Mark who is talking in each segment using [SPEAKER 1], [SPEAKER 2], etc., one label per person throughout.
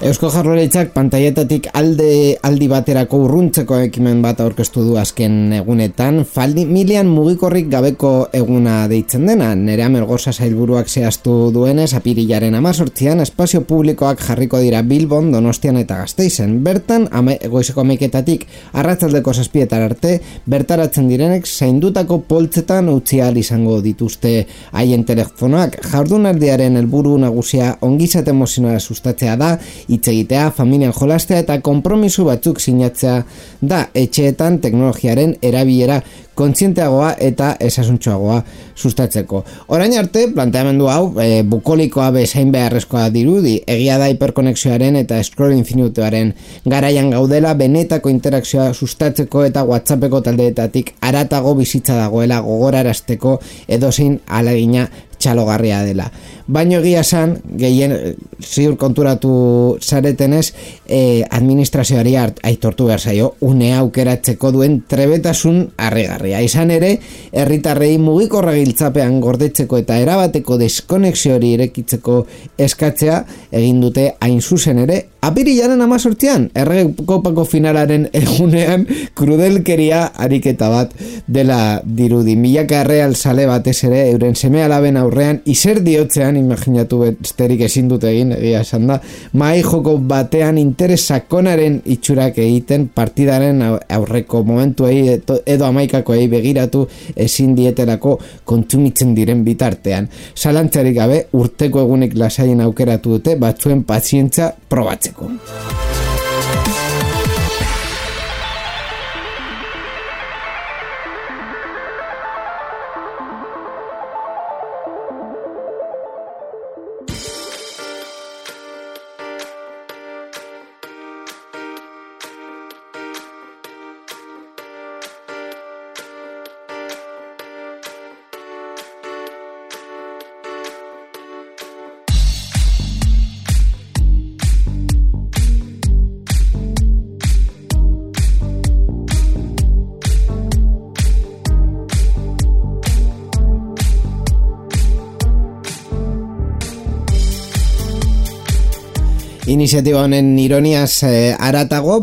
[SPEAKER 1] Eusko Jaurlaritzak pantaietatik aldi baterako urruntzeko ekimen bat aurkeztu du azken egunetan, familian mugikorrik gabeko eguna deitzen dena. Nerea Melgoza sailburuak zehaztu duenez, apirilaren 18an espazio publikoak jarriko dira Bilbon, Donostian eta Gasteizen. Bertan, goizeko 11etatik arratsaldeko 7 arte, bertaratzen direnek zaindutako poltzetan utzi ahal izango dituzte haien telefonoak. Jardunaldiaren helburu nagusia ongizate emozionala sustatzea da, hitz egitea, familian jolastea eta konpromiso batzuk sinatzea da, etxeetan teknologiaren erabilera kontzienteagoa eta esasuntxoagoa sustatzeko. Orain arte, planteamendu hau, bukolikoa bezain beharrezkoa dirudi, egia da hiperkonexioaren eta scroll infinituaren garaian gaudela, benetako interakzioa sustatzeko eta WhatsAppeko taldeetatik haratago bizitza dagoela gogorarazteko edozein ahalegina txalogarria dela. Baino egia esan, gehien ziur konturatu zaretenez, administrazioari aitortu behar zaio, une aukeratzeko duen trebetasun harrigarria. Izan ere, herritarrei mugikorra giltzapean gordetzeko eta erabateko deskonexioari irekitzeko eskatzea egin dute hain zuzen ere, apirilaren 18an, Errekopako finalaren egunean krudelkeria ariketa bat dela dirudi. Milaka erreal sale batez ere, euren seme alaben aurrean, izer diotzean, imaginatu besterik ezin dute egin, egia esan da, mahai joko batean interes sakonaren itxurak egiten, partidaren aurreko momentuei edo amaikakoei begiratu ezin dietelako kontsumitzen diren bitartean. Zalantzarik gabe, urteko egunik lasaien aukeratu dute, batzuen pazientza probatzeko. Iniziatiba honen ironiaz haratago,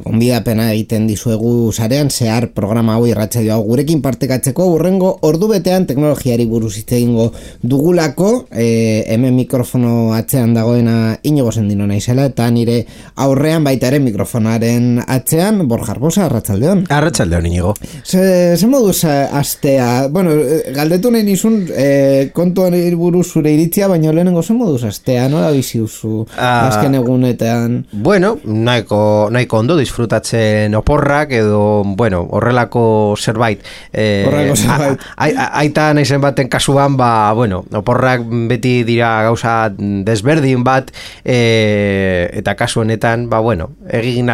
[SPEAKER 1] gonbidapena egiten dizuegu sarean, zehar programa hau irratsaio hau gurekin partekatzeko, hurrengo ordubetean teknologiari buruz hitz egingo dugulako, hemen mikrofono atzean dagoena Inigo Sendino naizela, eta nire aurrean baita ere mikrofonaren atzean, Borja Arbosa, arratsaldeon.
[SPEAKER 2] Arratsaldeon, Inigo.
[SPEAKER 1] Ze moduz astea, bueno, galdetu nahi nizun kontuan buruz zure iritzia, baina lehenengo ze moduz astea, nola bizi duzu azken egunetan?
[SPEAKER 2] Bueno, nahiko ondo disfrutatzen oporrak edo, bueno, horrelako zerbait. Aita naizen baten kasuan, bueno, oporrak beti dira gauza desberdin bat, eta kasu honetan, bueno, egin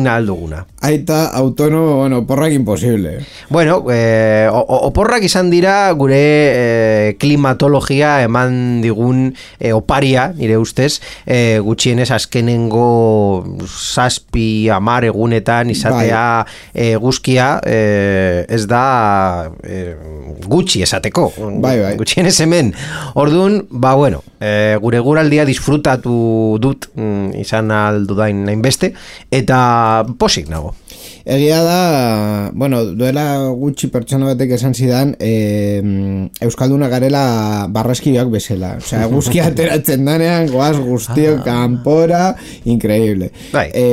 [SPEAKER 2] alduguna.
[SPEAKER 1] Aita autonomo, bueno, oporrak imposible.
[SPEAKER 2] Bueno, oporrak izan dira gure klimatologia eman digun oparia, nire ustez, gutxienez azkenengo 7-10 egunetan izatea eguzkia ez da gutxi esateko.
[SPEAKER 1] Bai.
[SPEAKER 2] Gutxienez hemen. Orduan, bueno, gure guraldia disfrutatu dut izan aldudain hainbeste, eta posik nago.
[SPEAKER 1] Egia da, bueno, duela gutxi pertsona batek esan zidan, euskalduna garela barraskiak bezala. Osea, eguzkia ateratzen danean, goaz guztiok kanpora, increíble.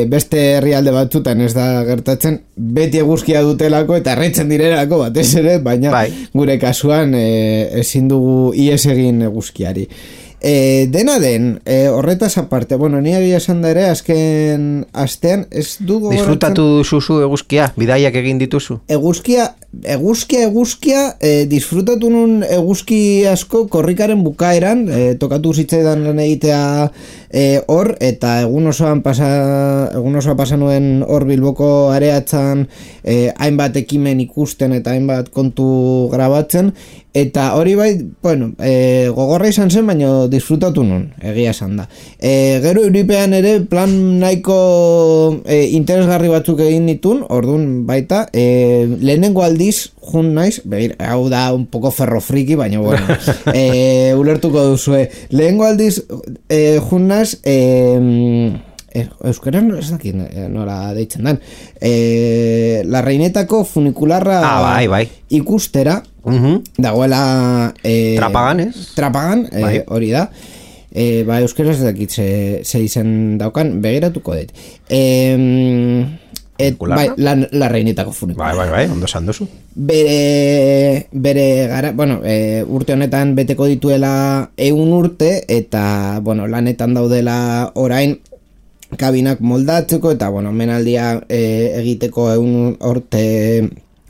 [SPEAKER 1] Beste herrialde batzutan ez da gertatzen, beti eguzkia dutelako eta erretzen direlako batez ere, baina gure kasuan ezin dugu ies egin eguzkiari. Dena den, horretaz aparte, bueno, ni egia esan da ere, azken astean, ez du gogoratzen...
[SPEAKER 2] Disfrutatu duzu eguzkia, bidaiak egin dituzu?
[SPEAKER 1] Eguzkia, disfrutatu nun eguzki asko korrikaren bukaeran, tokatu zitzaidan lan egitea hor, eta egun osoa pasa nuen hor Bilboko areatzen hainbat ekimen ikusten eta hainbat kontu grabatzen, eta hori bai, bueno, gogorra izan zen, baina disfrutatu nun, egia esan da. Gero Euripean ere plan nahiko interesgarri batzuk egin ditun, orduan baita, lehenengo aldiz, jun naiz, hau da un poco ferrofriki, baina bueno, ulertuko duzue. Lehenengo aldiz, jun naiz, euskaran ez dakit nola deitzen dan, la reinetako funikularra
[SPEAKER 2] bai.
[SPEAKER 1] ikustera, dagoela
[SPEAKER 2] Trapagan, ez?
[SPEAKER 1] Trapagan, hori da. Euskaraz ez dakit ze izen daukan, begiratuko dut. Bai, la reinetako funikularra.
[SPEAKER 2] Bai, ondo esan duzu.
[SPEAKER 1] Bere gara, bueno, urte honetan beteko dituela 100 urte, eta, bueno, lanetan daudela orain kabinak moldatzeko, eta, bueno, menaldia egiteko 100 urte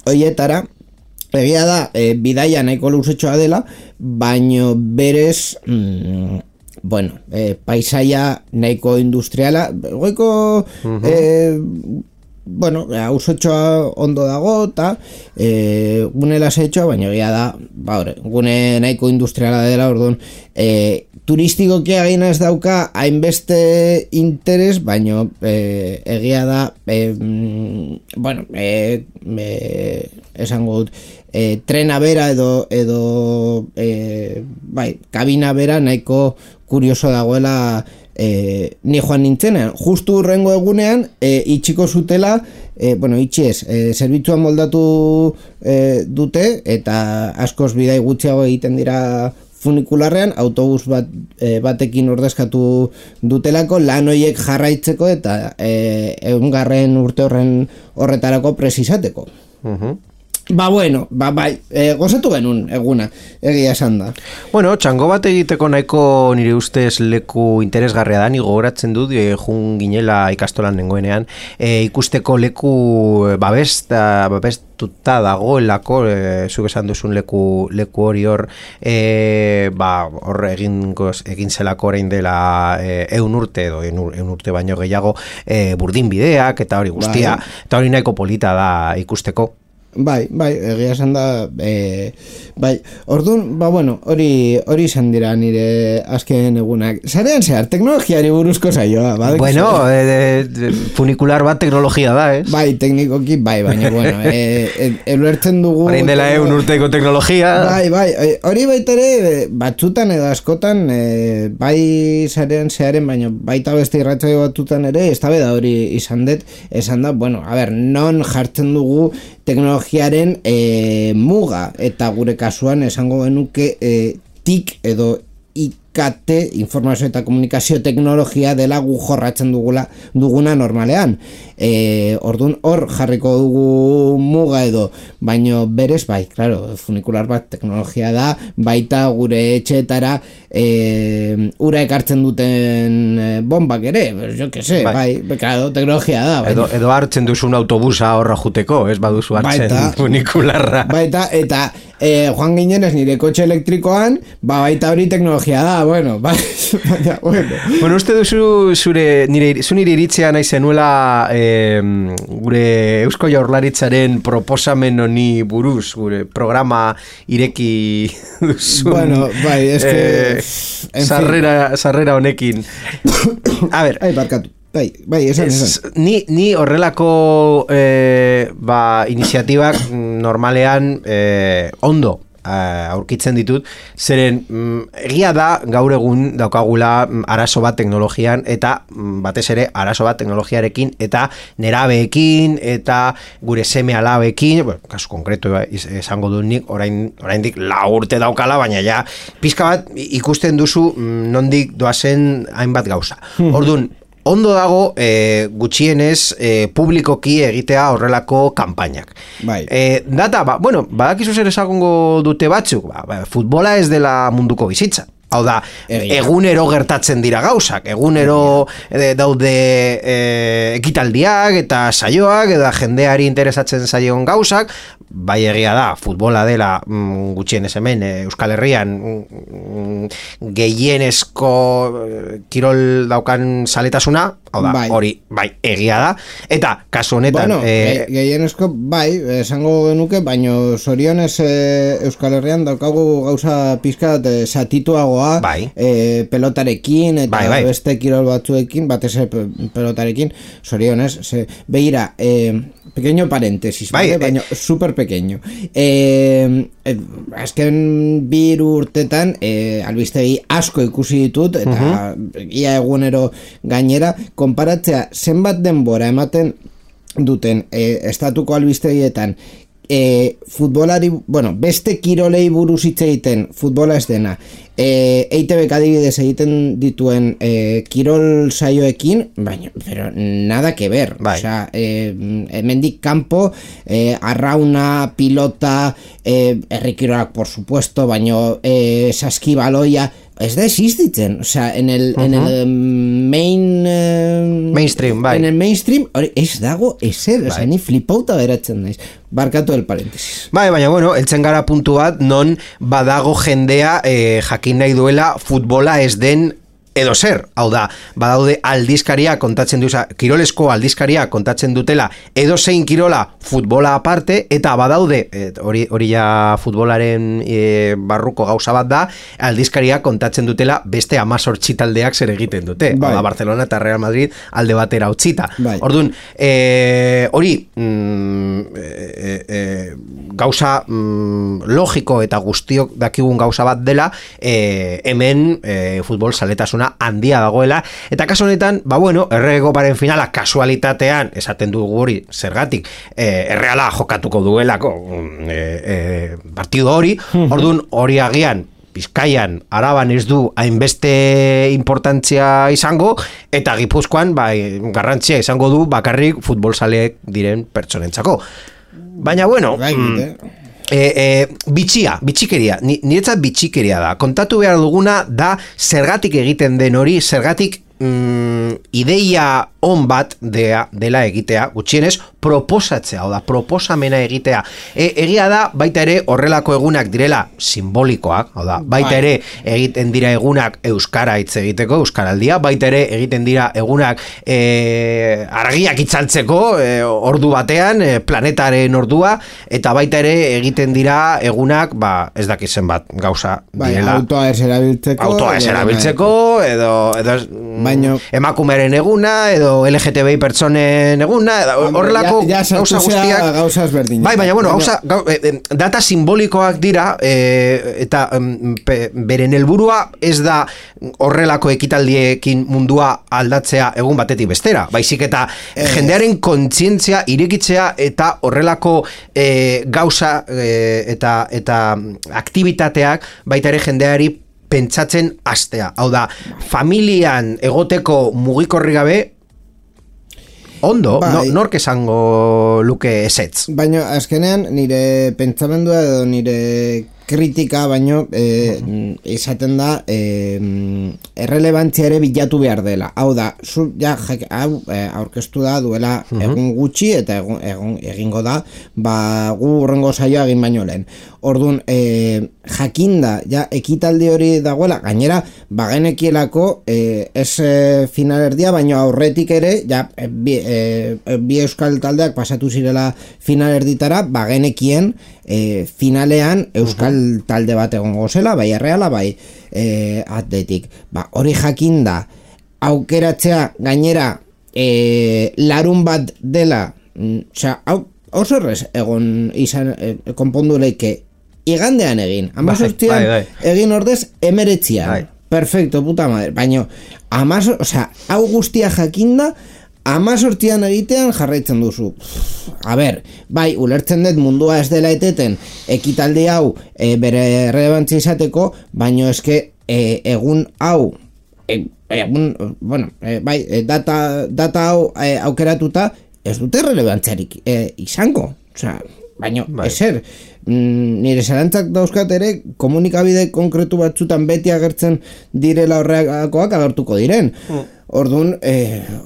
[SPEAKER 1] hoietara. Egia da, bidaia nahiko luzetxoa dela, baino berez, bueno, paisaia nahiko industriala, goiko, bueno, ausotxoa ondo dago, eta gune lasetxoa, baina egia da, gune nahiko industriala dela, orduan, turistikoki egin ez dauka hainbeste interes, baina egia da, bueno, esango dut, trena bera edo bai, kabina bera nahiko kurioso dagoela ni joan nintzenean. Justu urrengo egunean itxiko zutela, bueno, itxi ez, zerbitzuan moldatu dute, eta askoz bidai gutxiago egiten dira funikularrean, autobus batekin ordezkatu dutelako lan horiek jarraitzeko eta 100. urte horretarako presizateko. Ba, bueno, bai, gozatu genuen eguna, egia esan da.
[SPEAKER 2] Bueno, txango bat egiteko nahiko nire ustez leku interesgarria da, ni gogoratzen dut, jun ginela ikastolan nengoenean, ikusteko leku babestuta dagoelako, zuk esan duzun leku hori hor, hor egin zelako orain dela 100 urte edo 100 urte baino gehiago burdin bideak eta hori guztia, eta hori nahiko polita da ikusteko.
[SPEAKER 1] Bai, egia esan da, bai, orduan, bueno, hori izan dira nire azken egunak. Zarean zehar, teknologiari buruzko saioa, badek?
[SPEAKER 2] Bueno, funikular bat teknologia da, ez?
[SPEAKER 1] Bai, teknikoki, baina, bueno, eluertzen dugu...
[SPEAKER 2] Horein dela 100 urteko teknologia.
[SPEAKER 1] Bai, hori baita ere, batzutan edo askotan, bai zarean zearen, baina baita beste irratzaio batzutan ere, ez da hori izan dut, esan da, bueno, a ber, non jartzen dugu teknologiaren muga, eta gure kasuan esango genuke TIC edo IKT, informazio eta komunikazio teknologia dela gu jorratzen duguna normalean. Orduan hor jarriko dugu muga edo, baino berez bai, claro, funikular bat teknologia da, baita gure etxeetara ura ekartzen duten bombak ere, jo que se, bai, claro, teknologia da.
[SPEAKER 2] Bai. Edo hartzen duzun autobusa horra juteko, ez baduzu hartzen funikularra.
[SPEAKER 1] Baita, eta joan ginenez nire kotxe elektrikoan, baita hori teknologia da, bueno, bai, bueno.
[SPEAKER 2] Bueno, uste duzu nire iritzea nahi zenuela gure Eusko Jaurlaritzaren proposamen honi buruz, gure programa ireki duzun.
[SPEAKER 1] Bueno, bai, es que...
[SPEAKER 2] sarrera honekin. A ver...
[SPEAKER 1] Ai, barkatu. Bai, esan.
[SPEAKER 2] Ni horrelako iniziatibak normalean ondo aurkitzen ditut, zeren egia da gaur egun daukagula arazo bat teknologian, eta batez ere arazo bat teknologiarekin eta nerabeekin eta gure seme alabekin, bueno, kasu konkretu esango dut nik, oraindik 4 urte daukala, baina ja pizka bat ikusten duzu nondik doazen hainbat gauza. Orduan, ondo dago gutxienez publikoki egitea horrelako kanpainak.
[SPEAKER 1] Bai.
[SPEAKER 2] Data, bueno, badakizu zer esagongo dute batzuk, futbola ez dela munduko bizitza. Hau da, egunero gertatzen dira gauzak, egunero daude ekitaldiak eta saioak, eta jendeari interesatzen zaion gauzak, bai egia da, futbola dela gutxienez hemen Euskal Herrian gehienezko kirol daukan saletasuna, hau da, hori bai egia da, eta kasu honetan...
[SPEAKER 1] Bueno, gehienezko bai, esango genuke, baino zorionez Euskal Herrian daukagu gauza pizkat satituagoa pelotarekin eta beste kirol batzuekin, batez pelotarekin, zorionez, begira, pequeño paréntesis, baina super pequeño. Azken 2 urtetan albistegi asko ikusi ditut, eta ia egunero gainera, konparatzea zenbat denbora ematen duten estatuko albistegietan futbolari, beste kirolei buruz hitz egiten futbola ez dena, EITBek adibidez egiten dituen kirol saioekin, baina, pero nada que ver, osea, hemendik kanpo, arrauna, pilota, herrikirolak por supuesto, baina saskibaloia, ez da existitzen, o sea, en el
[SPEAKER 2] mainstream, bai.
[SPEAKER 1] En el mainstream, ez dago ezer, o sea, ni flipauta beratzen naiz. Barkatu el paréntesis.
[SPEAKER 2] Bai, baina, eltzen gara puntu bat, non badago jendea jakin nahi duela futbola ez den edo zer, hau da, badaude aldizkaria kontatzen kirolesko aldizkaria kontatzen dutela edo zein kirola futbola aparte, eta badaude, hori ja futbolaren barruko gauza bat da, aldizkaria kontatzen dutela beste 18 taldeak zer egiten dute, hau da, Barcelona eta Real Madrid alde batera utzita. Orduan, hori gauza logiko eta guztiok dakigun gauza bat dela, hemen futbol zaletasuna handia dagoela, eta kasu honetan, erregoparen finala kasualitatean, esaten dugu hori, zergatik, erreala jokatuko duelako partido hori, orduan hori agian, Bizkaian, Araban ez du hainbeste importantzia izango, eta Gipuzkoan garrantzia izango du bakarrik futbolzaleek diren pertsonentzako. Baina, bitxikeria, niretzat bitxikeria da. Kontatu behar duguna da zergatik egiten den hori, zergatik ideia on bat dela egitea, gutxienez proposatzea, o da, proposamena egitea. Egia da, baita ere horrelako egunak direla simbolikoak, o da, baita ere egiten dira egunak euskara hitz egiteko, euskaraldia, baita ere egiten dira egunak argiak itzaltzeko ordu batean, planetaren ordua, eta baita ere egiten dira egunak, ez dakizen bat gauza direla.
[SPEAKER 1] Autoa ez
[SPEAKER 2] erabiltzeko, edo emakumeren eguna, edo LGTBI pertsonen eguna, horrelako gauza guztiak. Baina, data simbolikoak dira, eta beren helburua ez da horrelako ekitaldiekin mundua aldatzea egun batetik bestera. Baizik eta jendearen kontzientzia irekitzea eta horrelako gauza eta aktibitateak baita ere jendeari pentsatzen hastea. Hau da, familian egoteko mugikorri gabe ondo, nork esango luke ezetz.
[SPEAKER 1] Baina, azkenean, nire pentsamendua edo nire kritika, baino esaten da errelebantzia ere bilatu behar dela. Hau da, aurkeztu da duela egun gutxi eta egingo da, gu urrengo saioa egin baino lehen. Orduan, jakinda, ekitaldi hori dagoela, gainera, bagenekielako ez finalerdia, baino aurretik ere, bi euskal taldeak pasatu zirela finalerditara, bagenekien finalean euskal talde bat egongo zela, bai Erreala, bai Atletik. Hori jakinda, aukeratzea gainera larun bat dela, oso errez egon izan konpondu leike igandean egin, 18an egin ordez 19an, perfecto, puta madre, baina hau guztia jakinda 18an egitean jarraitzen duzu. A ber, ulertzen dut mundua ez dela eteten ekitaldi hau bere relevantzia izateko, baina eske egun hau data hau aukeratuta ez dute relevantziarik izango. baina ezer, nire zalantzak dauzkat ere komunikabide konkretu batzutan beti agertzen direla horregakoak agertuko diren. Orduan,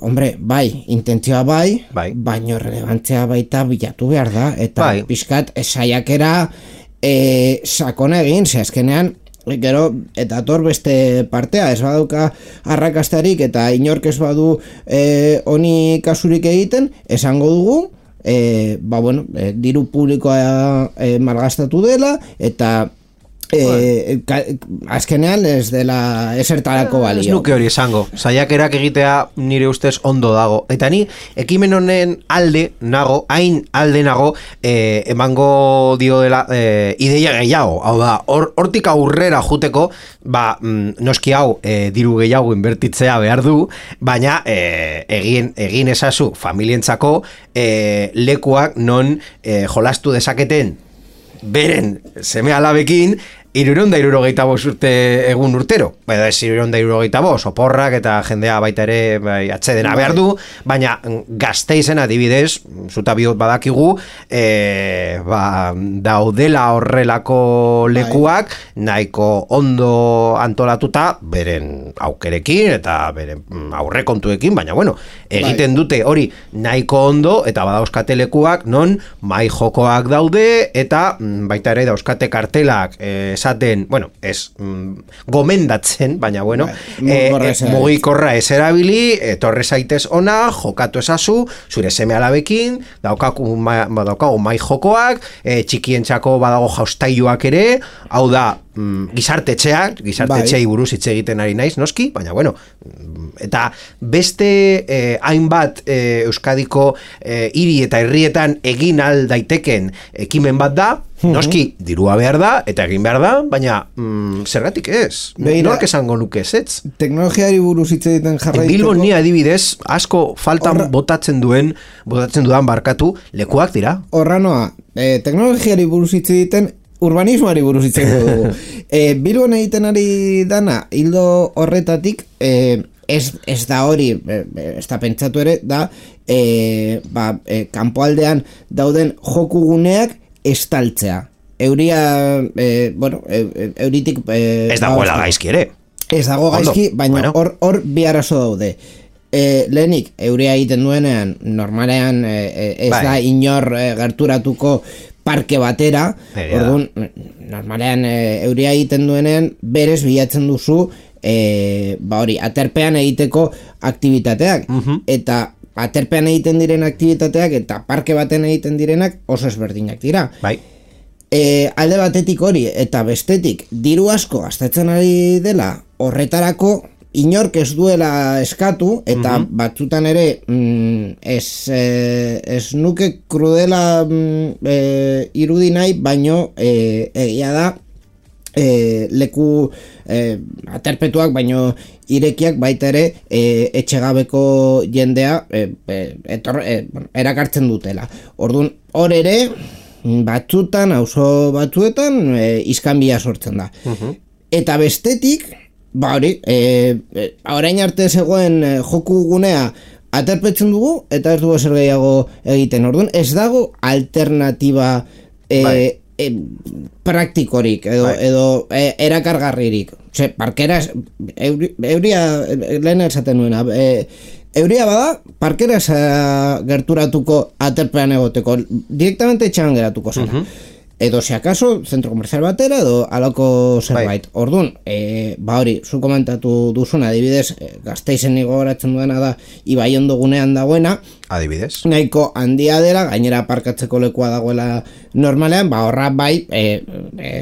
[SPEAKER 1] hombre, bai, intentzioa bai, baino relevantzia baita bilatu behar da, eta pixkat saiakera sakona egin, ze azkenean, gero, eta ator beste partea, ez badauka arrakastarik eta inork ez badu honi kasurik egiten, esango dugu, diru publikoa malgastatu dela, eta azkenean ez dela esertarako balio.
[SPEAKER 2] Ez nuke hori esango, saiakerak egitea nire ustez ondo dago, eta ni ekimen honen alde nago, hain alde nago, emango dio dela ideia gehiago, hau da, hortik aurrera juteko, noski hau diru gehiago inbertitzea behar du, baina egin ezazu familientzako lekuak non jolastu dezaketen beren seme alabekin 365 urte egun urtero. Baina ez 365, oporrak eta jendea baita ere atsedena behar du, baina Gasteizen adibidez, zuta bihot badakigu, daudela horrelako lekuak nahiko ondo antolatuta beren aukerekin eta beren aurrekontuekin, baina bueno, egiten dute hori nahiko ondo eta badauzkate lekuak non mai jokoak daude eta baita ere dauzkate kartelak esaten, bueno, ez gomendatzen, baina bueno, mugikorra ez erabili, etorre zaitez ona, jokatu ezazu, zure seme alabekin, daukagu mai jokoak, txikientzako badago jaustailuak ere, hau da, gizartetxeai buruz hitz egiten ari naiz, noski, baina bueno, eta beste hainbat Euskadiko hiri eta herrietan egin al daiteken ekimen bat da, noski, dirua behar da, eta egin behar da, baina zergatik ez? Nork esango nuke ez?
[SPEAKER 1] Teknologiari buruz hitz egiten jarraiteko.
[SPEAKER 2] Bilbon ni adibidez, asko faltan botatzen dudan barkatu, lekuak dira.
[SPEAKER 1] Horra noa, teknologiari buruz hitz egiten, urbanismoari buruz hitz egiten dugu. Bilbon egiten ari dana, hildo horretatik, ez da hori, ez da pentsatu ere, da, kanpoaldean dauden jokuguneak estaltzea. Euritik...
[SPEAKER 2] ez dagoela gaizki ere.
[SPEAKER 1] Ez dago gaizki, baina hor bi arazo daude. Lehenik, euria egiten duenean, normalean ez da inor gerturatuko parke batera, orduan, normalean euria egiten duenean, berez bilatzen duzu, aterpean egiteko aktibitateak, eta aterpean egiten diren aktibitateak eta parke baten egiten direnak oso ezberdinak dira. Alde batetik hori eta bestetik diru asko gastatzen ari dela horretarako inork ez duela eskatu eta batzutan ere ez nuke krudela irudi nahi, baino egia da leku aterpetuak baino irekiak baita ere etxegabeko jendea erakartzen dutela. Orduan, hor ere batzutan, auzo batzuetan iskanbila sortzen da. Eta bestetik, orain arte zegoen joku gunea aterpetzen dugu eta ez dugu zer gehiago egiten. Orduan, ez dago alternatiba praktikorik edo erakargarririk. Parkera euria lehen esaten nuena, euria bada parkera gerturatuko aterpean egoteko, directamente etxean geratuko zara. Edo si acaso zentro komerzial batera edo alako zerbait. Orduan, hori, zu komentatu duzuna, adibidez, Gasteizen gogoratzen duena da Ibaiondo gunean dagoena,
[SPEAKER 2] adibidez,
[SPEAKER 1] nahiko handia dela, gainera parkatzeko lekua dagoela normalean, horra bai,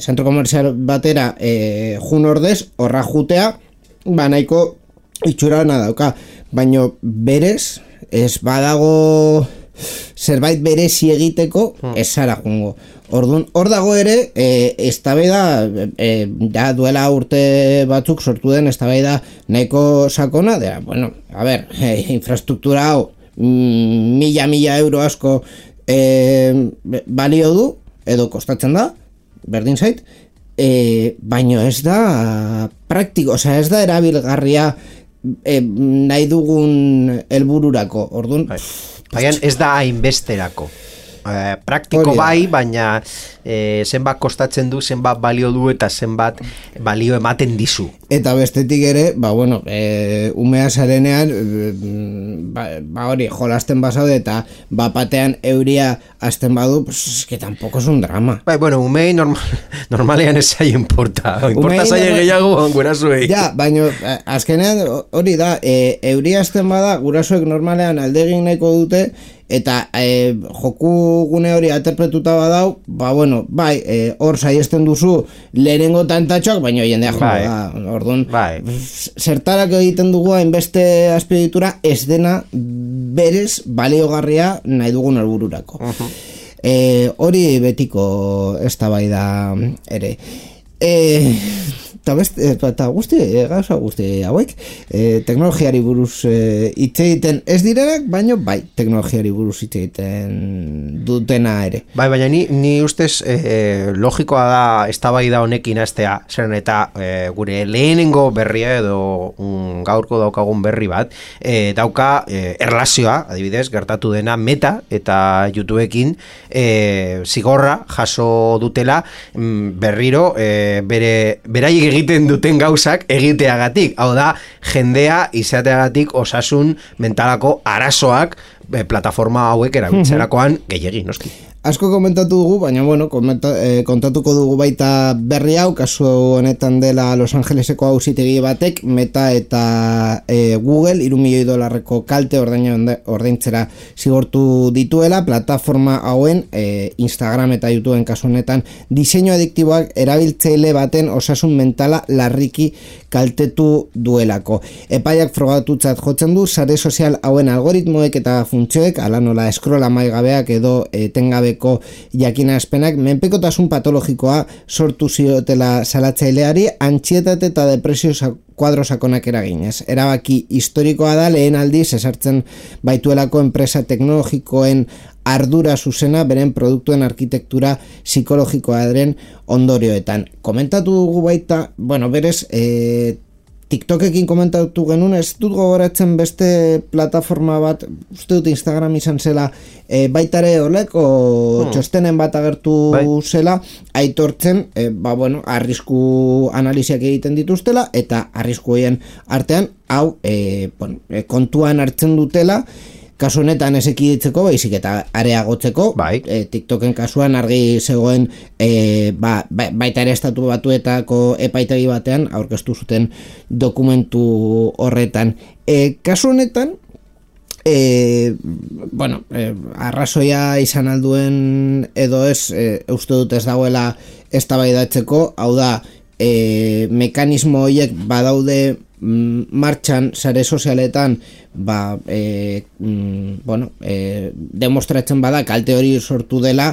[SPEAKER 1] zentro komerzial batera jun ordez, horra jutea, nahiko itxurana dauka, baino berez, ez badago zerbait berezi egiteko ez zara jungo. Orduan, hor dago ere, eztabaida, duela urte batzuk sortu den eztabaida nahiko sakona, infrastruktura hau mila euro asko balio du, edo kostatzen da, berdin zait, baino ez da praktiko, ez da erabilgarria nahi dugun helbururako. Orduan,
[SPEAKER 2] baina ez da hainbesterako. praktiko bai, baina zenbat kostatzen du, zenbat balio du eta zenbat balio ematen dizu.
[SPEAKER 1] Eta bestetik ere, umea zarenean, hori, jolasten basaude eta batean euria azten badu, pues que tampoco es un drama.
[SPEAKER 2] Bueno, umei normalean ez zai importa. Importa zai gehiago gurasoei.
[SPEAKER 1] Ja, baina azkenean hori da, euria azten bada, gurasoek normalean aldegin nahiko dute, eta joku gune hori aterpetuta badau, hor saiesten duzu lehenengo tantatxoak, baina jendea orduan, zertarak egiten dugu hainbeste azpieditura ez dena berez baliogarria nahi dugun helbururako. Hori betiko eztabaida ere. Eta gauza guzti hauek teknologiari buruz hitz egiten ez direnak, baina bai teknologiari buruz hitz egiten dutena ere.
[SPEAKER 2] Baina ni ustez logikoa da eztabaida honekin hastea, zeren eta gure lehenengo berria edo gaurko daukagun berri bat dauka erlazioa, adibidez, gertatu dena Meta eta YouTubeekin zigorra jaso dutela berriro beraiek egiten duten gauzak egiteagatik, hau da jendea izateagatik osasun mentalako arazoak plataforma hauek erabiltzerakoan gehiegi, noski.
[SPEAKER 1] Asko komentatu dugu, baina kontatuko dugu baita berri hau, kasu honetan dela Los Angeleseko auzitegi batek, Meta eta Google $3 milioi kalte ordaintzera zigortu dituela, plataforma hauen Instagram eta YouTubeen kasu honetan diseinu adiktiboak erabiltzaile baten osasun mentala larriki kaltetu duelako. Epaiak frogatutzat jotzen du, sare sozial hauen algoritmoek eta funtzioek, ala nola scroll amaigabeak edo etengabeko jakinazpenak menpekotasun patologikoa sortu ziotela salatzaileari, antsietate eta depresio kuadro sakonak eraginez. Erabaki historikoa da lehen aldiz esartzen baituelako enpresa teknologikoen ardura zuzena beren produktuen arkitektura psikologikoaren ondorioetan. Komentatu dugu baita, berez, TikTokekin komentatu genuen, ez dut gogoratzen beste plataforma bat, uste dut Instagram izan zela, baitare oleko txostenen bat agertu zela, aitortzen, arrisku analiziak egiten dituztela, eta arrisku egin artean, hau, kontuan hartzen dutela, kasu honetan ez ekiditzeko, baizik eta areagotzeko, TikToken kasuan argi zegoen baita ere estatu batuetako epaitegi batean aurkeztu zuten dokumentu horretan. Kasu honetan, arrazoia izan alduen edo ez, uste dut ez dagoela eztabaidatzeko, hau da, mekanismo horiek badaude martxan sare sozialetan demostratzen bada kalte hori sortu dela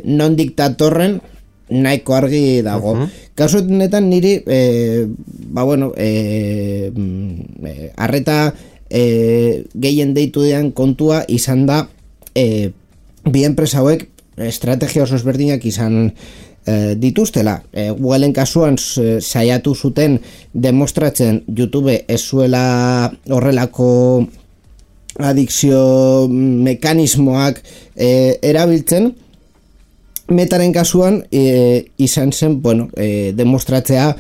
[SPEAKER 1] non diktatorren nahiko argi dago. Kasu honetan niri arreta gehien deitu dean kontua izan da bi enpresa hauek estrategia oso ezberdinak izan dituztela. Googleen kasuan saiatu zuten demostratzen YouTube ez zuela horrelako adikzio mekanismoak erabiltzen. Metaren kasuan izan zen demostratzea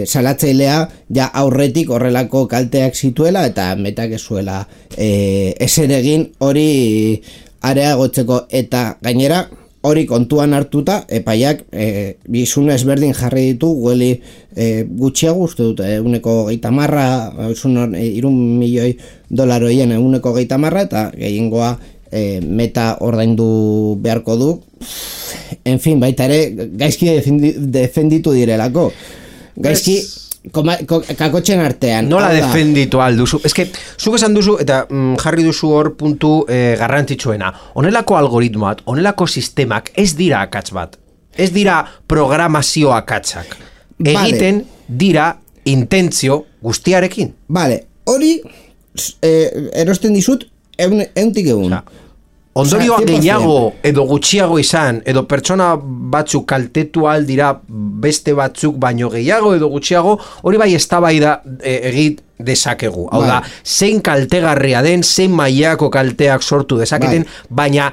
[SPEAKER 1] salatzailea ja aurretik horrelako kalteak zituela eta Metak ez zuela ezer egin hori areagotzeko, eta gainera hori kontuan hartuta, epaiak bizun ezberdin jarri ditu Google gutxiago, uste dut, 130, $3 milioi $130, eta gehiengoa Meta ordaindu beharko du. En fin, baita ere, gaizki defenditu direlako. Gaizki kakotxen artean.
[SPEAKER 2] Nola defenditu alduzu? Ez que, zuk esan duzu, eta jarri duzu hor puntu garrantzitsuena. Honelako algoritmoak, honelako sistemak ez dira akats bat. Ez dira programazio akatsak. Egiten dira intentzio guztiarekin.
[SPEAKER 1] Vale, hori erosten dizut euntik egun.
[SPEAKER 2] Ondorioa gehiago edo gutxiago izan, edo pertsona batzuk kaltetu aldira beste batzuk baino gehiago edo gutxiago, hori bai eztabaida egit dezakegu. Hau da, zein kaltegarria den, zein mailako kalteak sortu dezaketen, baina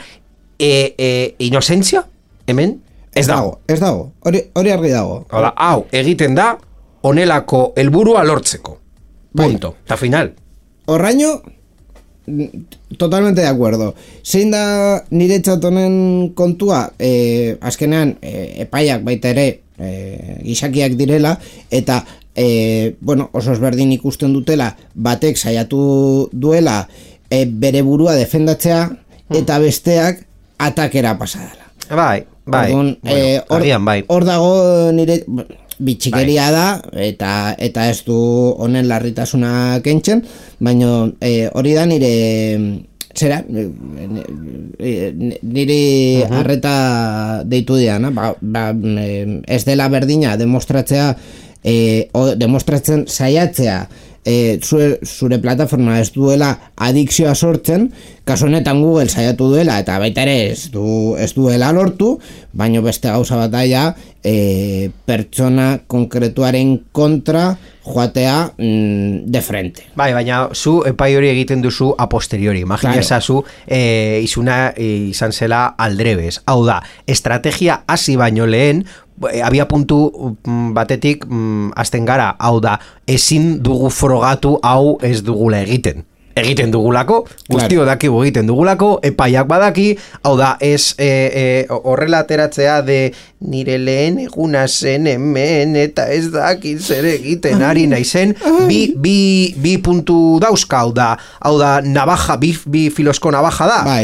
[SPEAKER 2] inozentzia, hemen, ez dago.
[SPEAKER 1] Ez dago, hori argi dago.
[SPEAKER 2] Hala, hau, egiten da, onelako helburua lortzeko. Punto, eta final.
[SPEAKER 1] Horraino, totalmente de acuerdo. Zein da niretzat honen kontua, azkenean, epaiak baita ere, gizakiak direla, eta oso ezberdin ikusten dutela, batek saiatu duela bere burua defendatzea, eta besteak atakera pasadala.
[SPEAKER 2] Bai.
[SPEAKER 1] Agian bai. Hor dago nire bitxikeria da, eta ez du honen larritasuna kentzen, baina hori da nire zera, nire arreta deitu diana, ez dela berdina demostratzen saiatzea zure plataforma ez duela adikzioa sortzen, kasu honetan Google saiatu duela eta baita ere ez duela lortu, baino beste gauza bat daia pertsona konkretuaren kontra joatea de frente.
[SPEAKER 2] Bai, baina zu epai hori egiten duzu a posteriori, imagina ezazu izuna izan zela aldrebes, hau da, estrategia hasi baino lehen abia puntu batetik hasten gara, hau da, ezin dugu frogatu hau ez dugula egiten dugulako, guztio dakigu egiten dugulako, epaiak badaki, hau da, ez horrela ateratzea de nire lehen eguna zen hemen, eta ez dakit zer egiten ari naizen, bi puntu dauzka, hau da, navaja, bi filosko navaja da,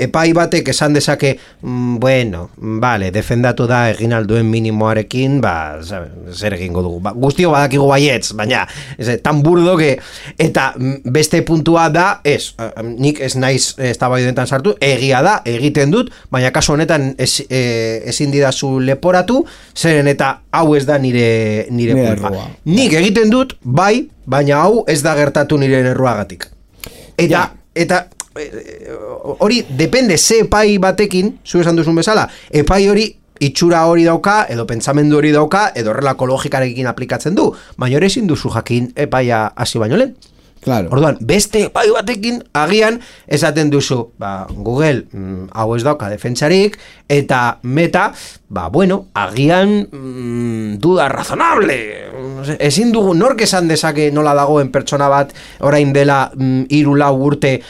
[SPEAKER 2] epai batek esan dezake, bueno, vale, defendatu da egin alduen minimoarekin, zer egingo dugu, guztio badakigu baietz, baina, tan burdo que, eta beste puntua da, nik ez naiz eztabaidetan sartu, egia da, egiten dut, baina kasu honetan ezin didazu leporatu, zeren eta hau ez da nire kulpa. Nik egiten dut, bai, baina hau ez da gertatu nire erruagatik. Eta hori depende ze epai batekin, zu esan duzun bezala, epai hori itxura hori dauka, edo pentsamendu hori dauka, edo horrelako logikarekin aplikatzen du, baina hori ezin duzu jakin epaia hasi baino lehen.
[SPEAKER 1] Claro.
[SPEAKER 2] Orduan, beste epai batekin agian esaten duzu, Google hau ez dauka defentsarik, eta Meta, agian duda razonable. Ezin dugu, nork esan dezake nola dagoen pertsona bat orain dela 3-4 urte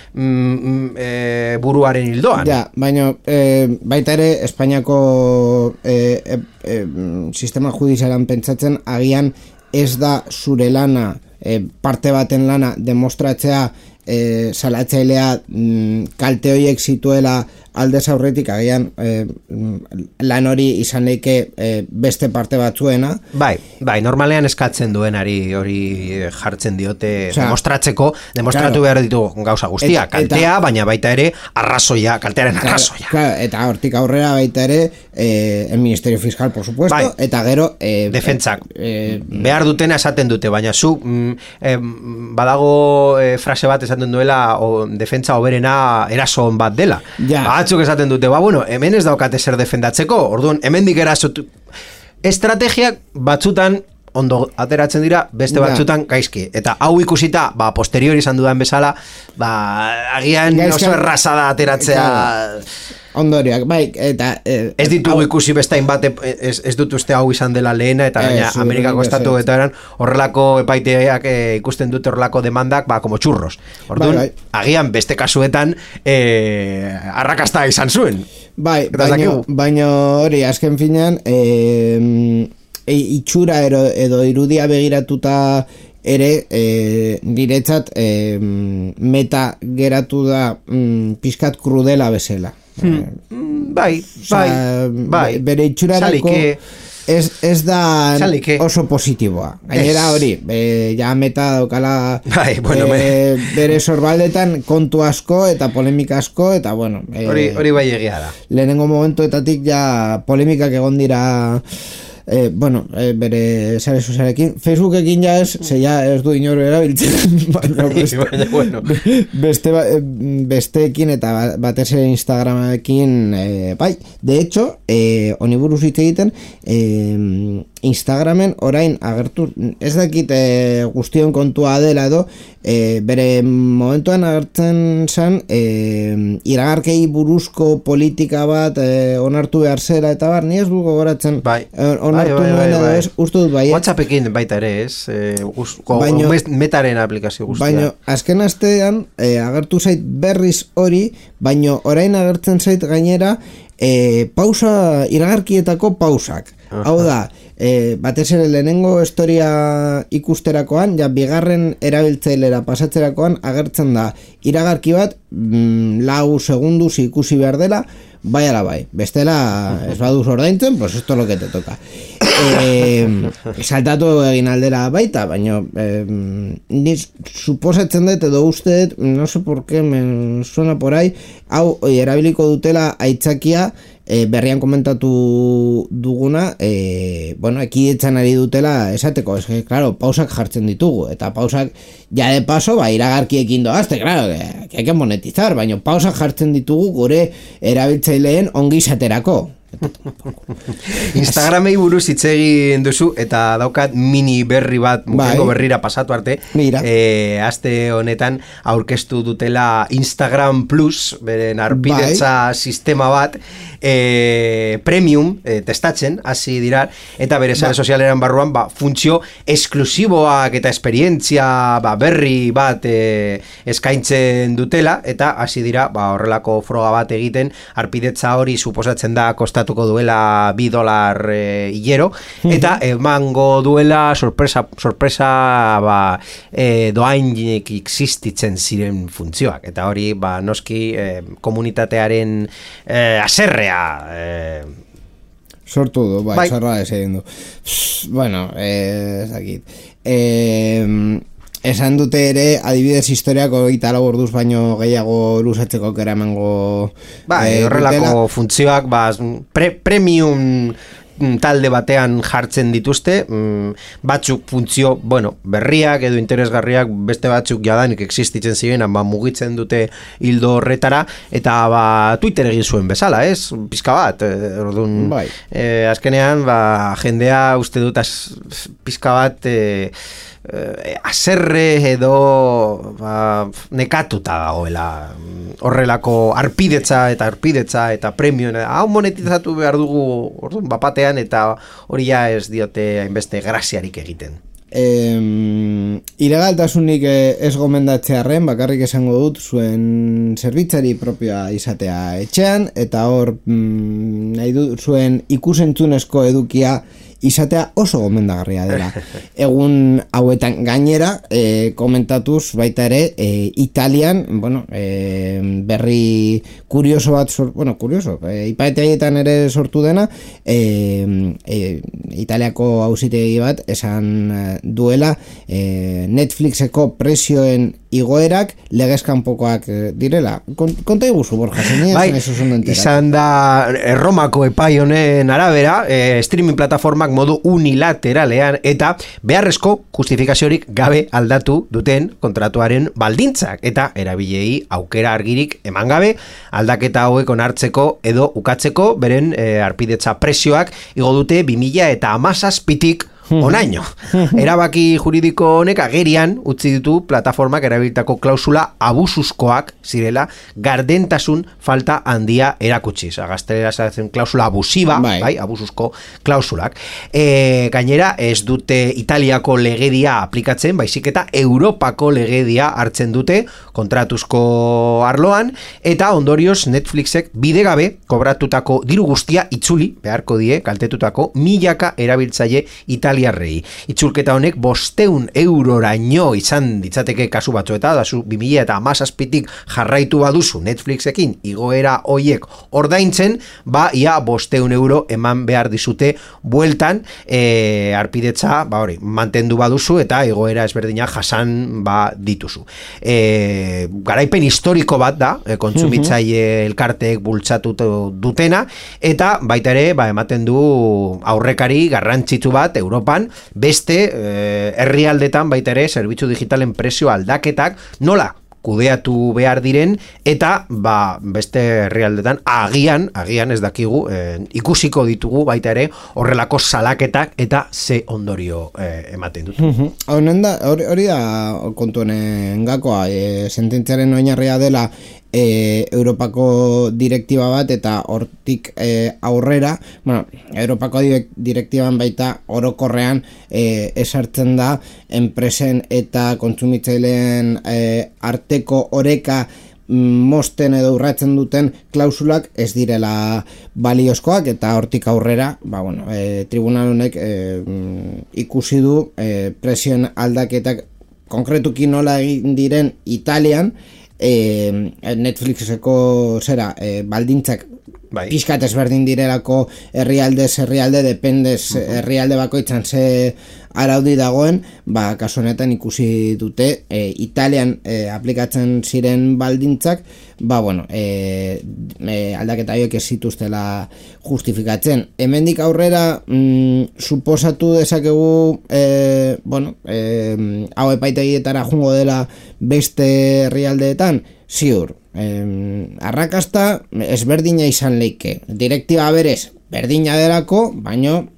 [SPEAKER 2] buruaren hildoan.
[SPEAKER 1] Ja, baina baita ere Espainiako sistema judizialan pentsatzen agian ez da zure lana parte baten lana demostratzea salatzailea kalte horiek zituela aldez aurretik agian lan hori izan leike beste parte batzuena.
[SPEAKER 2] Bai, normalean eskatzen duenari hori jartzen diote demostratu behar ditu gauza guztia, kaltea, baina baita ere kaltearen arrazoia.
[SPEAKER 1] Eta hortik aurrera baita ere el Ministerio Fiscal, por supuesto, eta gero
[SPEAKER 2] defentsak behar dutena esaten dute, baina zu badago frase bat esaten duela defentsa hoberena erason bat dela. Batzuk esaten dute, hemen ez daukate zer defendatzeko, orduan, hemendik erasotu. Estrategiak batzutan ondo ateratzen dira, beste batzutan gaizki. Eta hau ikusita, posteriori izan dudan bezala, agian oso erraza da ateratzea.
[SPEAKER 1] Ondoriak, eta
[SPEAKER 2] ez ditugu ikusi bestain bat, ez dut uste hau izan dela lehena, eta gaina Amerikako estatu eta eran horrelako epaiteak ikusten dute horrelako demandak, como txurros. Orduan, agian beste kasuetan arrakasta izan zuen.
[SPEAKER 1] Baina hori, azken finean, itxura edo irudia begiratuta ere niretzat Meta geratu da pixkat krudela bezala. Bere itxurarako ez da oso positiboa. Gainera hori, ja Meta daukala bere sorbaldetan kontu asko eta polemika asko, eta
[SPEAKER 2] hori bai egia da.
[SPEAKER 1] Lehenengo momentuetatik ja polemikak egon dira bere sare sozialekin, Facebookekin ja ez du inor erabiltzen, besteekin eta batez ere Instagramekin, de hecho, honi buruz hitz egiten, Instagramen orain agertu, ez dakit guztion kontua dela edo, bere momentuan agertzen zen iragarkei buruzko politika bat onartu behar zera eta bar, ni ez du gogoratzen onartu nuen edo ez, uste dut bai.
[SPEAKER 2] WhatsAppekin baita ere ez, metaren aplikazio guztia.
[SPEAKER 1] Baina azken astean agertu zait berriz hori, baina orain agertzen zait gainera pausa, iragarkietako pausak. Hau da, batez ere lehenengo historia ikusterakoan, ja bigarren erabiltzailera pasatzerakoan agertzen da iragarki bat 4 segunduz ikusi behar dela, bai ala bai, bestela ez baduz ordaintzen, pues esto lo que te toca. Saltatu egin aldera baita, baina ni suposatzen dut edo uste dut, no sé por qué me suena por ahí, hau erabiliko dutela aitzakia berrian komentatu duguna, ekidetzan ari dutela esateko, es que, claro, pausak jartzen ditugu, eta pausak, ja de paso, iragarkiekin doazte, claro, que hay que monetizar, baina pausak jartzen ditugu gure erabiltzaileen ongizaterako.
[SPEAKER 2] Instagramei buruz hitz egin duzu eta daukat mini berri bat mugengo berrira pasatu arte. Aste honetan aurkeztu dutela Instagram Plus, beren arpidetza sistema bat premium testatzen hasi dira eta bere sare sozialeran barruan funtzio esklusiboak eta esperientzia berri bat eskaintzen dutela eta hasi dira horrelako froga bat egiten. Arpidetza hori suposatzen da kostatuko duela $2 hilero eta emango duela sorpresa doainik existitzen ziren funtzioak eta hori noski komunitatearen aserrea
[SPEAKER 1] sortu du, zorra ez egin du. Bueno, ezakit. Esan dute ere, adibidez historiako 24 orduz baino gehiago luzatzeko kera emango
[SPEAKER 2] horrelako funtzioak premium talde batean jartzen dituzte, batzuk funtzio, berriak edo interesgarriak, beste batzuk jadanik existitzen ziren, mugitzen dute hildo horretara, eta Twitter egin zuen bezala, ez? Pizka bat, azkenean, jendea uste dut pizka bat aserre edo nekatuta dagoela horrelako arpidetza eta premium hau monetizatu behar dugu orduan bapatean eta hori ja ez diote hainbeste graziarik egiten.
[SPEAKER 1] Ilegaltasunik ez gomendatzearren bakarrik esango dut zuen zerbitzari propioa izatea etxean eta hor nahi dut zuen ikusentzunezko edukia izatea oso gomendagarria dela. Egun hauetan gainera komentatuz baita ere Italian, berri kurioso bat ipaeteaietan ere sortu dena, Italiako auzitegi bat esan duela Netflixeko prezioen igoerak legezkanpokoak direla. Konta iguzu, Borja,
[SPEAKER 2] izan da Erromako epai honen arabera, streaming plataformak modu unilateralean eta beharrezko justifikaziorik gabe aldatu duten kontratuaren baldintzak eta erabilei aukera argirik eman gabe aldaketa hauek onartzeko edo ukatzeko beren arpidetza prezioak igo dute 2017tik onaino. Erabaki juridiko honek agerian utzi ditu plataformak erabilitako klausula abusuzkoak zirela gardentasun falta handia erakutsiz. Gaztelera zaten klausula abusiba, abusuzko klausulak. Gainera ez dute Italiako legedia aplikatzen, baizik eta Europako legedia hartzen dute kontratuzko arloan eta ondorioz Netflixek bidegabe kobratutako diru guztia itzuli beharko die kaltetutako milaka erabiltzaile italiarrei. Itzulketa honek 500 euroraino izan ditzateke kasu batzueta, da zu 2017tik jarraitu baduzu Netflixekin igoera hoiek ordaintzen, ia 500 euro eman behar dizute bueltan arpidetza, hori, mantendu baduzu eta igoera ezberdina jasan dituzu. Garaipen historiko bat da, kontsumitzaile elkarteek bultzatu dutena, eta baita ere, ematen du aurrekari garrantzitsu bat Europan, beste herrialdetan baita ere zerbitzu digitalen prezio aldaketak nola kudeatu behar diren, eta beste herrialdetan agian ez dakigu, ikusiko ditugu baita ere horrelako salaketak eta ze ondorio ematen dut.
[SPEAKER 1] Hori da kontuenen gakoa, sententziaren oinarria dela Europako direktiba bat eta hortik aurrera, Europako direktiban baita orokorrean esartzen da enpresen eta kontsumitzaileen arteko oreka mosten edo urratzen duten klausulak ez direla baliozkoak, eta hortik aurrera tribunal honek ikusi du presioen aldaketak konkretuki nola egin diren Italian, Netflixeko baldintzak pixkat ezberdin direlako herrialde dependez herrialde bakoitzan ze araudi dagoen, kasu honetan ikusi dute Italian aplikatzen ziren baldintzak aldaketa horiek ez zituztela justifikatzen. Hemendik aurrera suposatu dezakegu hau epaitegietara jungo dela beste herrialdeetan, ziur. Arrakasta ezberdina izan leike. Direktiba berez berdina delako, baino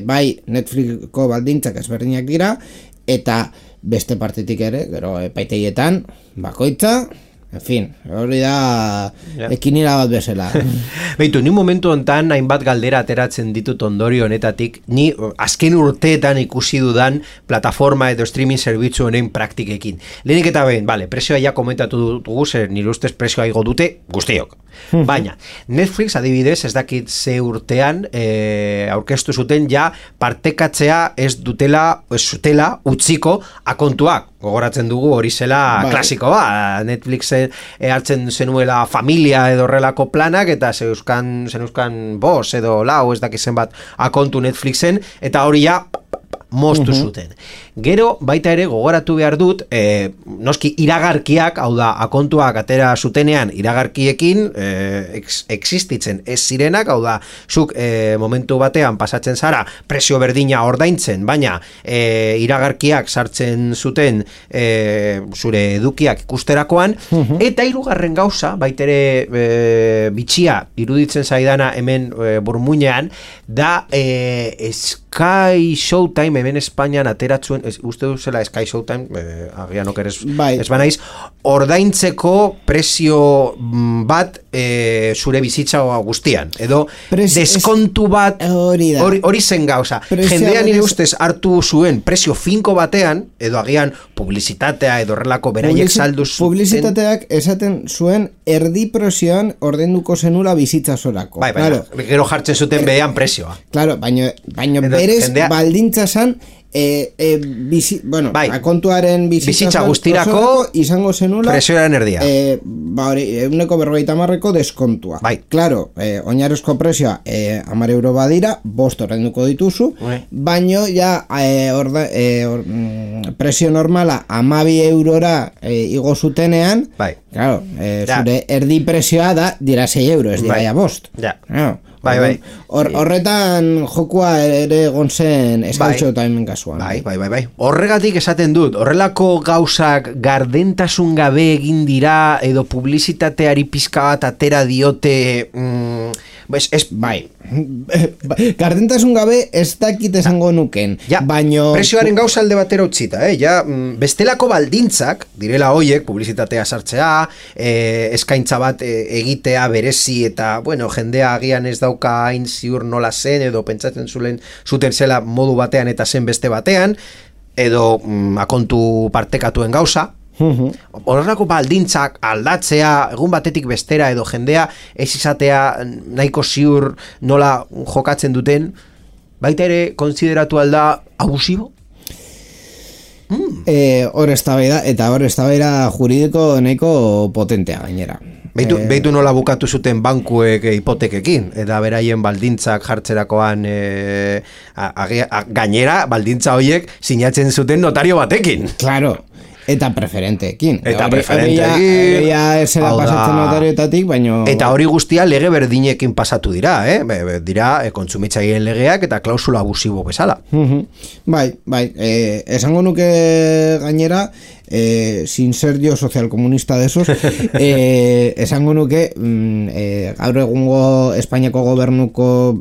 [SPEAKER 1] bai Netflixko baldintzak ezberdinak dira, eta beste partetik ere, gero epaitegietan bakoitza, en fin, hori da ekinira bat bezala.
[SPEAKER 2] Beitu, ni momentu hontan hainbat galdera ateratzen ditut ondorio honetatik, ni azken urteetan ikusi dudan plataforma edo streaming zerbitzu honen praktikekin. Lehenik eta behin, presioa ja komentatu dugu, zer nire ustez presioa igo dute guztiok. Baina, Netflix adibidez ez dakit ze urtean aurkeztu zuten ja partekatzea ez zutela utziko akontuak. Gogoratzen dugu hori zela klasiko Netflix hartzen zenuela familia edo horrelako planak, eta zeneuzkan bos edo lau ez dakizen bat akontu Netflixen, eta hori ja moztu zuten. Gero, baita ere, gogoratu behar dut, noski iragarkiak, hau da, akontuak atera zutenean iragarkiekin existitzen ez zirenak, hau da, zuk momentu batean pasatzen zara presio berdina ordaintzen, baina iragarkiak sartzen zuten zure edukiak ikusterakoan, eta hirugarren gauza, baita ere bitxia iruditzen zaidana hemen burmuinean, da Sky Showtime hemen Espainian ateratzuen, uste duzela Sky Showtime, agian okeres ez banaiz, ordaintzeko presio bat zure bizitza guztian, edo deskontu bat hori zen gauza. Jendean nire ustez hartu zuen presio finko batean, edo agian publizitatea edo horrelako beraiek saldu zuten.
[SPEAKER 1] Publizitateak esaten zuen erdi presioan ordenduko zenula bizitza zorako.
[SPEAKER 2] Gero jartzen zuten behean presioa.
[SPEAKER 1] Claro, baino berez baldintza zan akontuaren
[SPEAKER 2] bizitza guztirako
[SPEAKER 1] izango zenula
[SPEAKER 2] presioaren erdia.
[SPEAKER 1] 150 deskontua. Claro, oinarrizko presioa 10 euro badira, 5 ordainduko dituzu, baino ja presio normala 12 eurora igo zutenean, claro, zure erdi presioa dira 6 euro, ez dira ja 5. Horretan jokua ere egon zen Sky Showtime kasuan.
[SPEAKER 2] Horregatik esaten dut, horrelako gauzak gardentasun gabe egin dira edo publizitateari pizka bat atera diote
[SPEAKER 1] gardentasun gabe ez dakit esango nuken, baino
[SPEAKER 2] presioaren gauza alde batera utzita, bestelako baldintzak direla hoiek, publizitatea sartzea, eskaintza bat egitea berezi, eta jendea agian ez dauka hain ziur nola zen, edo pentsatzen zuten zela modu batean eta zen beste batean, edo akontu partekatuen gauza. Horrelako baldintzak aldatzea egun batetik bestera, edo jendea ez izatea nahiko ziur nola jokatzen duten, baita ere konsideratu alda abusibo?
[SPEAKER 1] Hor eztabaida, eta hor eztabaida juridiko nahiko potentea gainera.
[SPEAKER 2] Beitu nola bukatu zuten bankuek hipotekekin, eta beraien baldintzak jartzerakoan gainera baldintza horiek sinatzen zuten notario batekin.
[SPEAKER 1] Claro. Eta preferenteekin.
[SPEAKER 2] Eta preferenteekin.
[SPEAKER 1] Esera pasatzen notarioetatik, baino...
[SPEAKER 2] Eta hori guztia lege berdinekin pasatu dira, dira kontsumitzaileen legeak eta klausula abusibo bezala.
[SPEAKER 1] Bai, esango nuke gainera, sin ser yo socialcomunista de esos, esango nuke gaur egungo Espainiako gobernuko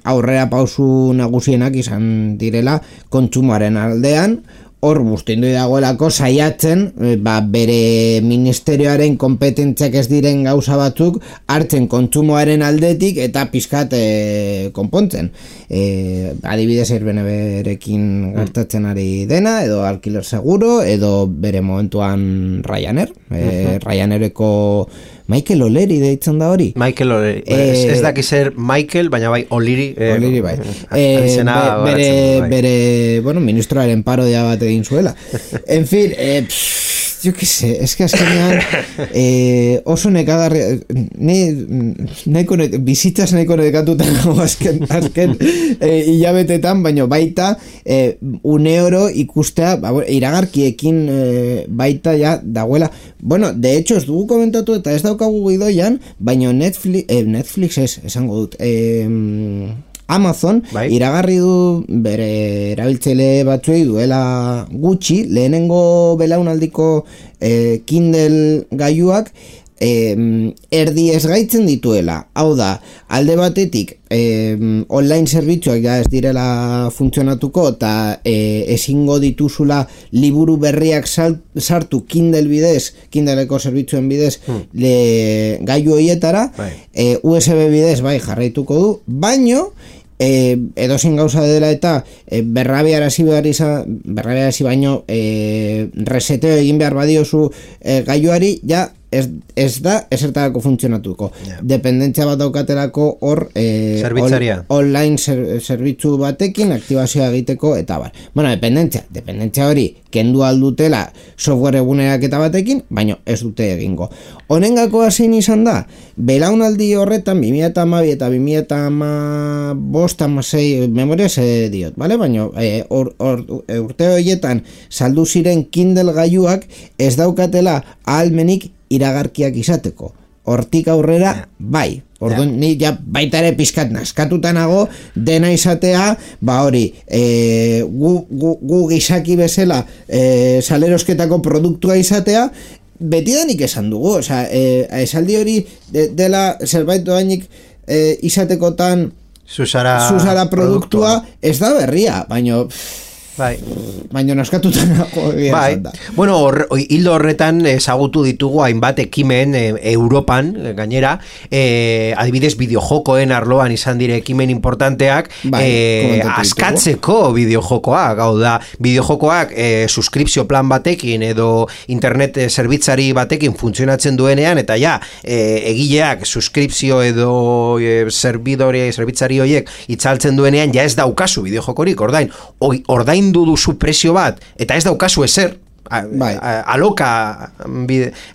[SPEAKER 1] aurrera pausu nagusienak izan direla kontsumoaren aldean, hor bustindu dagoelako saiatzen bere ministerioaren kompetentziak ez diren gauza batzuk hartzen kontsumoaren aldetik eta pizkat konpontzen. Adibidez Airbnb-rekin gertatzen ari dena, edo Alquiler Seguro, edo bere momentuan Ryanair. Ryanaireko Michael O'Leary deitzen da hori.
[SPEAKER 2] Michael O'Leary. Ez daki zer Michael, baina bai O'Leary.
[SPEAKER 1] O'Leary bai. Bere, ministroaren parodia bat egin zuela. En fin, yo qué sé, es que azkenean oso nekagarri bizitzaz nahiko nekatutan azken hilabetetan, baina baita uneoro ikustea iragarkiekin baita ja dagoela. Bueno, de hecho ez dugu komentatu eta ez daukagu gidoian, baina Netflix esango dut Amazon iragarri du bere erabiltzaile batzuei duela gutxi lehenengo belaunaldiko Kindle gailuak erdi ez gaitzen dituela. Hau da, alde batetik online zerbitzuak ja ez direla funtzionatuko eta ezingo dituzula liburu berriak sartu Kindle bidez, Kindleko zerbitzuen bidez gailu horietara, USB bidez jarraituko du, baino edozein gauza dela eta berrabiarazi baino reseteo egin behar badiozu gailuari, ja ez da esertarako funtzionatuko. Dependentzia bat daukatelako hor online zerbitzu batekin aktibazioa egiteko eta bar. Bueno, dependentzia hori kendu aldutela software eguneraketa batekin, baino ez dute egingo. Honengako zein izan da, belaunaldi horretan 2012 eta 2015-16 memoriaz diot, vale? Baino urte horietan saldu ziren Kindle gailuak ez daukatela ahalmenik iragarkiak izateko. Hortik aurrera, bai. Orduan, ni ja baita ere pizkat naskatutanago dena izatea, hori, gu gizaki bezala salerosketako produktua izatea, betidanik esan dugu, esaldi hori dela zerbait doainik izatekotan Susara produktua ez da berria, baino... Baina naskatutan
[SPEAKER 2] bueno, hildo horretan ezagutu ditugu hainbat ekimen Europan, gainera adibidez bideojokoen arloan izan dire ekimen importanteak askatzeko bideojokoak, hau da bideojokoak suskripzio plan batekin edo internet zerbitzari batekin funtzionatzen duenean, eta ja egileak suskripzio edo zerbitzari horiek itzaltzen duenean, ja ez daukazu bideojokorik, ordain duzu prezio bat, eta ez daukazu ezer,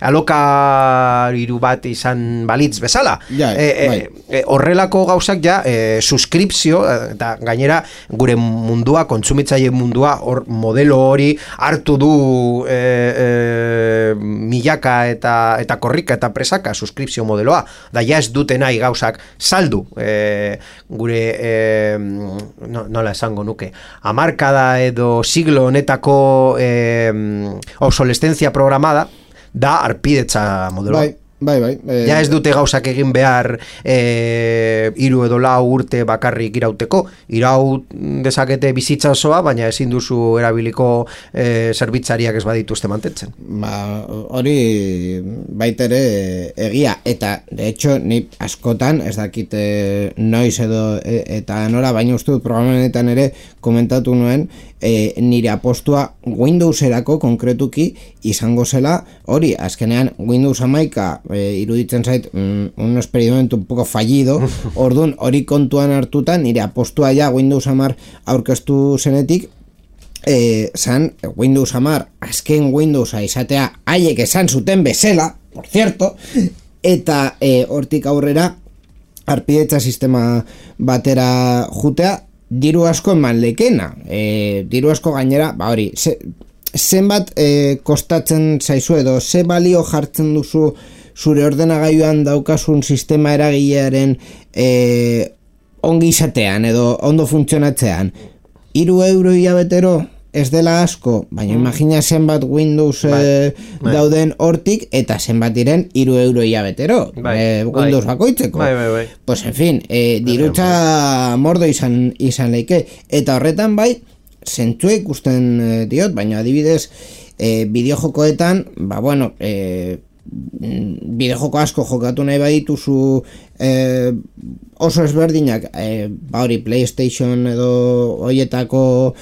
[SPEAKER 2] alokariru bat izan balitz bezala. Horrelako gauzak ja suskripzio, eta gainera gure mundua, kontsumitzaile mundua, hor modelo hori hartu du milaka eta korrika eta presaka suskripzio modeloa, da ja ez dute nahi gauzak saldu, gure nola esango nuke, hamarkada edo siglo honetako obsolescencia programada da arpidetza modeloa. Ja ez dute gauzak egin behar 3 edo 4 urte bakarrik irauteko. Iraut dezakete bizitza osoa, baina ezin duzu erabiliko zerbitzariak ez badituzte mantentzen.
[SPEAKER 1] Hori baitere egia, eta de hecho ni askotan ez dakit noiz edo eta nora, baina uste dut programenetan ere komentatu nuen nire apostua Windowserako konkretuki izango zela hori, azkenean Windows 11 iruditzen zait un experimento un poco fallido, orduan hori kontuan hartuta nire apostua ja Windows 10 aurkeztu zenetik zan Windows 10 azken Windowsa izatea haiek esan zuten bezala, por cierto, eta hortik aurrera arpidetza sistema batera jutea diru asko eman lekena, diru asko gainera, hori, zenbat kostatzen zaizu edo ze balio jartzen duzu zure ordenagailuan daukasun sistema eragilearen ongi izatean edo ondo funtzionatzean. 3 euro hilabetero ez dela asko, baina imagina zenbat Windows dauden hortik eta zenbat diren 3 euro hilabetero Windows bakoitzeko. Pues en fin, dirutza mordo izan leike. Eta horretan bai, zentzua ikusten diot, baina adibidez bideojokoetan, bideojoko asko jokatu nahi badituzu oso ezberdinak hori PlayStation edo hoietako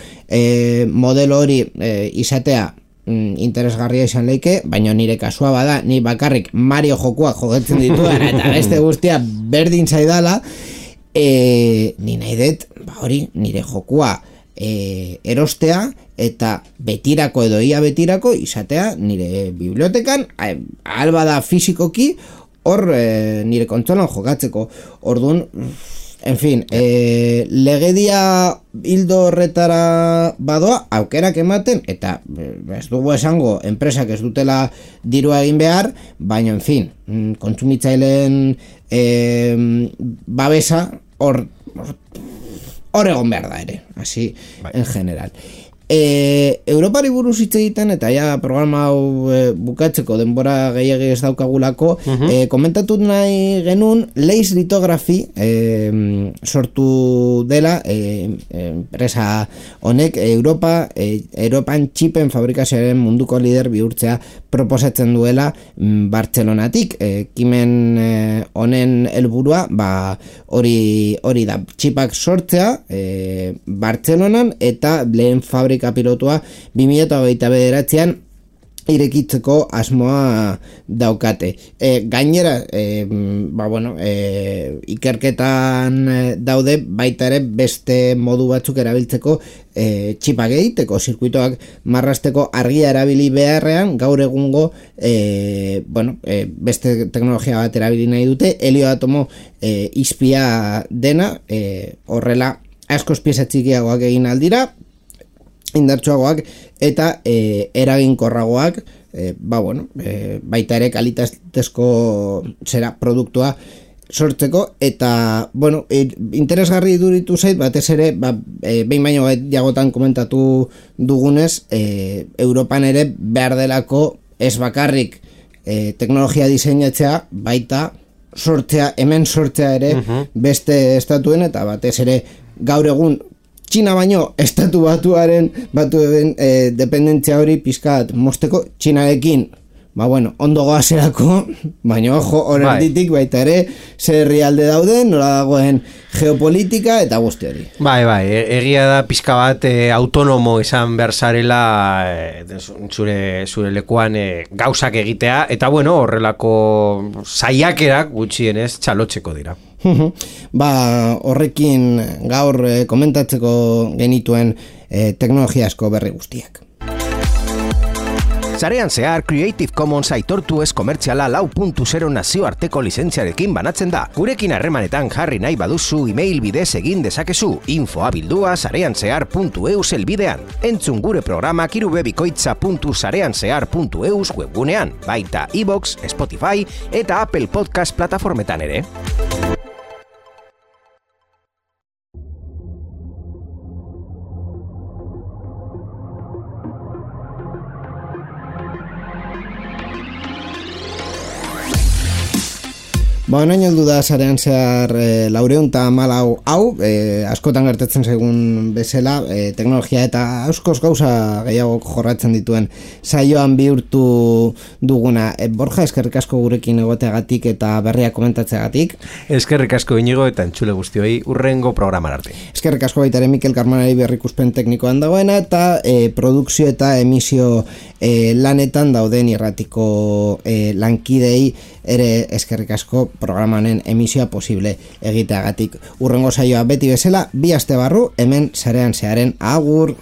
[SPEAKER 1] modelo hori izatea interesgarria izan leike, baina nire kasua bada, ni bakarrik Mario jokoak jokatzen dituan eta beste guztia berdin zaidala, ni nahi dut nire jokoa erostea eta betirako edo ia betirako izatea nire bibliotekan alba da fizikoki hor nire kontsolan jokatzeko. Orduan, en fin, legedia hildo horretara badoa aukerak ematen eta ez dugu esango enpresak ez dutela dirua egin behar, baina en fin, kontsumitzaileen babesa hor egon behar da ere, así en general. Europari buruz hitz egiten eta ja programa hau bukatzeko denbora gehiegi ez daukagulako, komentatu nahi genuen Lace Lithography sortu dela enpresa honek Europan txipen fabrikazioaren munduko lider bihurtzea proposatzen duela Bartzelonatik. Ekimen honen helburua hori da, txipak sortzea Bartzelonan eta lehen fabrika pilotua 2029an irekitzeko asmoa daukate. Gainera, ikerketan daude baita ere beste modu batzuk erabiltzeko txipak egiteko, zirkuitoak marrasteko argia erabili beharrean gaur egungo beste teknologia bat erabili nahi dute, helio atomo izpia dena, horrela askoz pieza txikiagoak egin aldira, indartsuagoak eta eraginkorragoak, baita ere kalitatezko produktua sortzeko eta, interesgarri iduritu zait, batez ere, behin baino jagotan komentatu dugunez, Europan ere behar delako ez bakarrik teknologia diseinatzea, baita hemen sortzea ere beste estatuen eta batez ere gaur egun Txina baino estatu batuen dependentzia hori pizkat mosteko Txinarekin ondo goazerako, baina ojo horretitik baita ere zer herrialde dauden, nola dagoen geopolitika eta guzti hori.
[SPEAKER 2] Egia da pizka bat autonomo izan berzarela zure lekuan gauzak egitea, eta horrelako saiakerak gutxienez txalotzeko dira.
[SPEAKER 1] Horrekin gaur komentatzeko genituen teknologia asko berri guztiak.
[SPEAKER 3] Sarean zehar Creative Commons aitortu ez komertziala 4.0 nazioarteko lizentziarekin banatzen da. Gurekin harremanetan jarri nahi baduzu email bidez egin dezakezu info@sareanzehar.eu helbidean. Entzun gure programak irubebikoitza.sareanzehar.eus webgunean, baita iVoox, Spotify eta Apple Podcast plataformetan ere.
[SPEAKER 1] Nain heldu da sarean zehar 414 hau, askotan gertatzen zaigun bezala, teknologia eta askoz gauza gehiago jorratzen dituen saioan bihurtu duguna. Borja, eskerrik asko gurekin egoteagatik eta berria komentatzeagatik.
[SPEAKER 2] Eskerrik asko Inigo eta entzule guztioi urrengo programan arte.
[SPEAKER 1] Eskerrik asko baita ere Mikel Karmanari berrikuspen teknikoan dagoena eta produkzio eta emisio lanetan dauden irratiko lankidei ere eskerrik asko programanen emisioa posible egiteagatik. Urrengo saioa beti bezala, 2 aste barru, hemen sarean zeharen agur.